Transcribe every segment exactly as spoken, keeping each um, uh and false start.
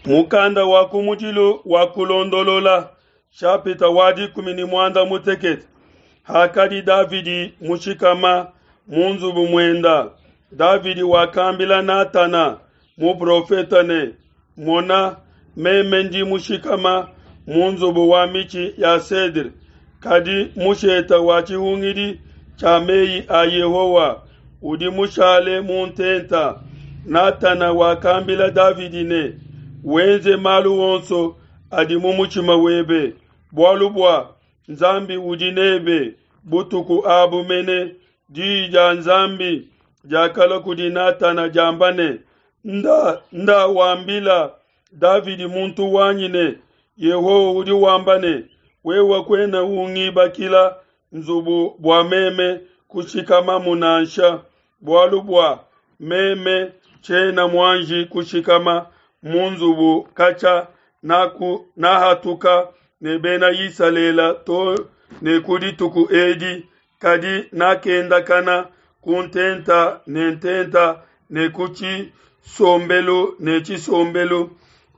Mukanda wa kumudilu wa Kulondolola, shapita wa dikumi ne muanda mutekete. Hakadi Davidi mushikama mu nzubu muenda, Davidi wakambila Natana muprofete ne, Mona, meme ndi mushikama mu nzubu wa mitshi ya cedre, kadi mushete wa tshihungidi tshia mei a Yehowa udi mushale mu ntenta. Natana wakambila Davidi ne, Wenze malu onso adi mu mutshima webe, bualu bua Nzambi udi nebe. Butuku abu mene diyi dia Nzambi diakalua kudi Natana diamba ne, Nda, nda wambila Davidi muntu wanyi ne, Yehowa udi wamba ne, wewe kuena ungibakila nzubu bua meme kushikamamu nansha, bualu bua meme tshiena muanji kushikama mu nzubu katshia naku nahatuka ne Bena Isalele to ne ku dituku edi, kadi nakendakana ku ntenta ne ntenta ne ku tshisombelu ne tshisombelu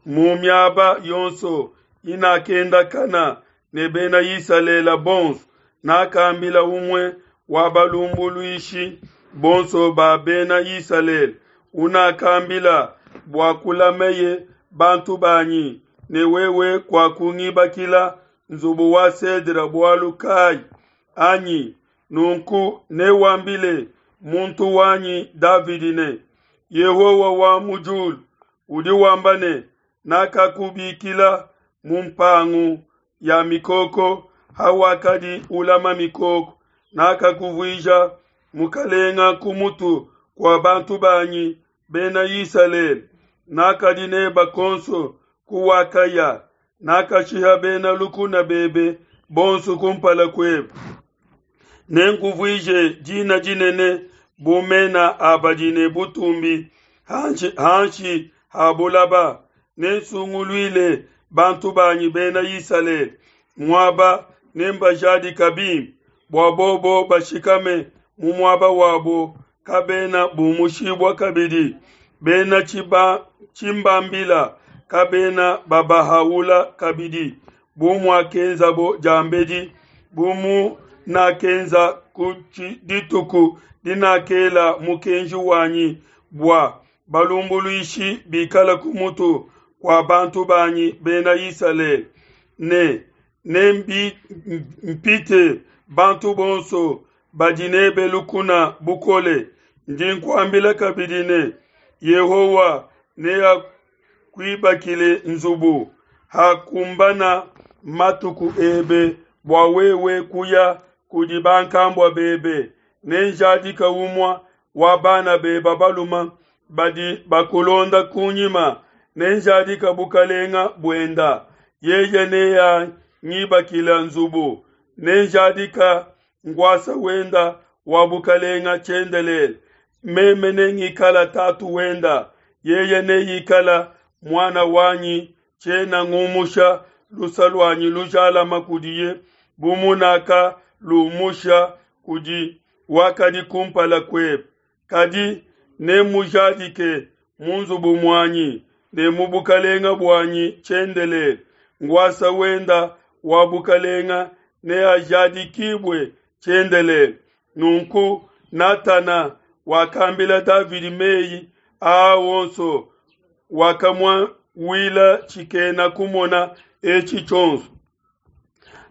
mu miaba yonso inakendakana ne Bena Isalele bonso. Nakambila umue wa balumbuluishi bonso ba Bena Isalele unakambila bua kulameye bantu banyi ne wewe kuakungibakila nzubu wa cedre bualu kai anyi? Nunku newambile muntu wanyi Davidi ne, Yehowa wa mu diulu udi wamba ne, Nakakubikila mu mpangu ya mikoko hawakadi ulama mikoko, nakakuvuija mukalenga ku mutu kua bantu banyi Bena Isalele, nakadi neba konso kuwakaya, nakashiha bena lukuna bebe bonso kumpala kuebe. Nenkuvuije dina dinene bu mena a badi ne butumbi hanshi, hanshi ha bulaba. Nensunguluile bantu banyi Bena Isalele muaba, nembajadika bimpe, bua bobo bashikame mu muaba wabo, kabena bumushibua kabidi. Bena tshiba, tshimbambila kabena babahaula kabidi, bu muakenzabo diambedi, bu munakenza ku dituku dinakela mukenji wanyi bua balumbuluishi bikala ku mutu kua bantu banyi Bena Isalele, ne nempite bantu bonso badi nebe lukuna bukole. Ndi nkuambila kabidi ne, Yehowa neakuibakile nzubu hakumbana matuku ebe bua wewe kuya kudi bankambua bebe. Nenjadike umue wa bana bebe balume badi bakulonda kunyima, nenjadike bukalenga buenda. Yeye neangibakile nzubu, nenjadika nkuasa wenda wa bukalenga tshiendelele. Meme nengikala tatu wenda, yeye neikala muana wanyi. Tshiena ngumusha lusa luanyi lujalama kudiye, bu munakalumusha kudi wakadi kumpala kuebe, kadi nemujadike mu nzubu muanyi ne mu bukalenga buanyi tshiendelele. Nkuasa wenda wa bukalenga neajadikibue tshiendelele. Nunku Natana wakambila Davidi meyi aa onso, wakamuawila tshikena kumona etshi tshionso.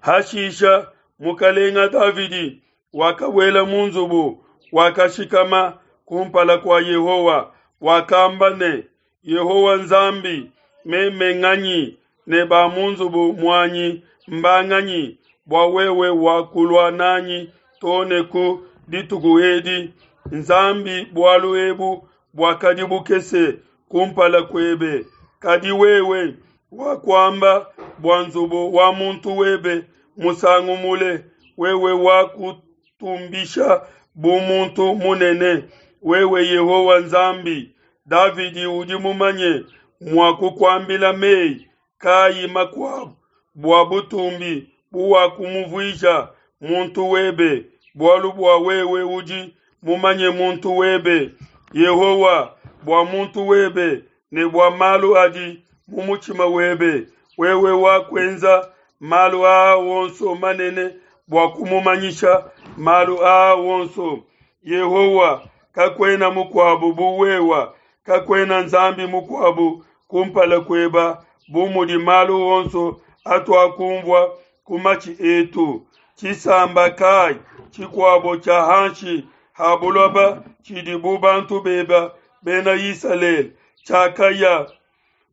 Hashisha mukalenga Davidi wakabuela mu nzubu, wakashikama kumpala kua Yehowa, wakamba ne, Yehowa Nzambi, meme nganyi ne ba mu nzubu muanyi mbanganyi bua wewe wakulua nanyi to ne ku dituku edi? Nzambi, bualu ebu buakadi bukese kumpala kuebe, kadi wewe wakuamba bua nzubu wa muntu webe musangu mule, wewe wakutumbisha bu muntu munene, wewe Yehowa Nzambi. Davidi udi mumanye mua kukuambila mei kayi makuabu bua butumbi buwakumuvuija muntu webe, bualu bua wewe udi mumanye muntu webe, Yehowa, bua muntu webe ne bua malu adi mu mutshima webe, wewe wakwenza malu aa wonso manene bua kumumanyisha malu aa wonso. Yehowa, kakuena mukuabu bu wewa, kakuena Nzambi mukuabu kumpala kueba bu mudi malu onso atuakumvua ku matshi etu. Tshisamba kai tshikuabo tshia hanshi ha buloba tshidi bu bantu beba Bena Isalele, tshiakaya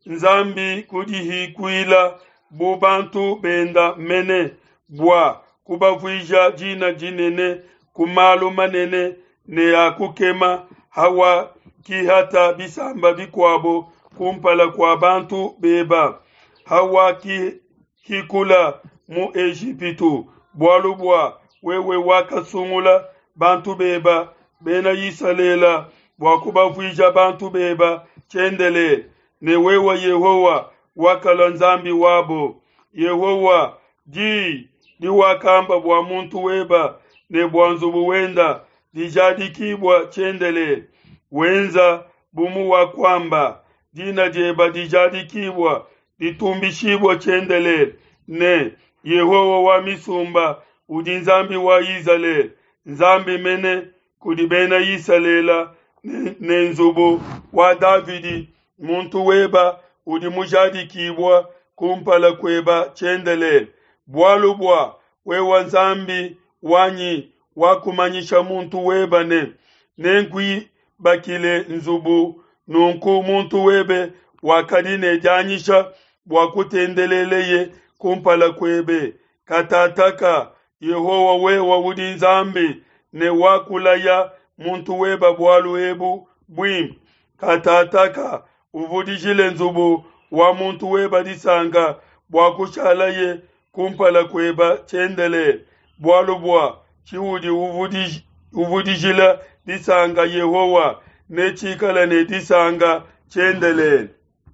Nzambi kudihikuila bu bantu benda mene, bua kubavuija dina dinene ku malu manene ne a kukema hawakihata bisamba bikuabo kumpala kua bantu beba, hawakihikula mu Ejipitu, bualu bua wewe wakasungula bantu beba Bena Isalele bua kubavuija bantu beba tshiendelele, ne wewe Yehowa wakalua Nzambi wabo. Yehowa, di diwakamba bua muntu weba ne bua nzubu wenda dijadikibua tshiendelele. Wenza bu muwakuamba, dina dieba dijadikibua ditumbishibua tshiendelele, ne Yehowa wa misumba udi Nzambi wa Izalele, Nzambi mene kudi Bena Isalele ne, ne nzubu wa Davidi muntu weba udi mujadikibua kumpala kueba tshiendelele. Bualu bua wewe Nzambi wanyi wakumanyisha muntu weba ne, nenkuibakile nzubu, nunku muntu webe wakadi ne dianyisha bua kutendeleleye kumpala kuebe. Katataka Yehowa wewe udi Nzambi ne wakulaya muntu weba bualu ebu buimpe. Katataka uvudijile nzubu wa muntu weba disanka bua kushalaye kumpala kueba tshiendelele, bualu bua tshiudi uvudij- uvudijila disanka Yehowa netshikale ne disanka tshiendelele.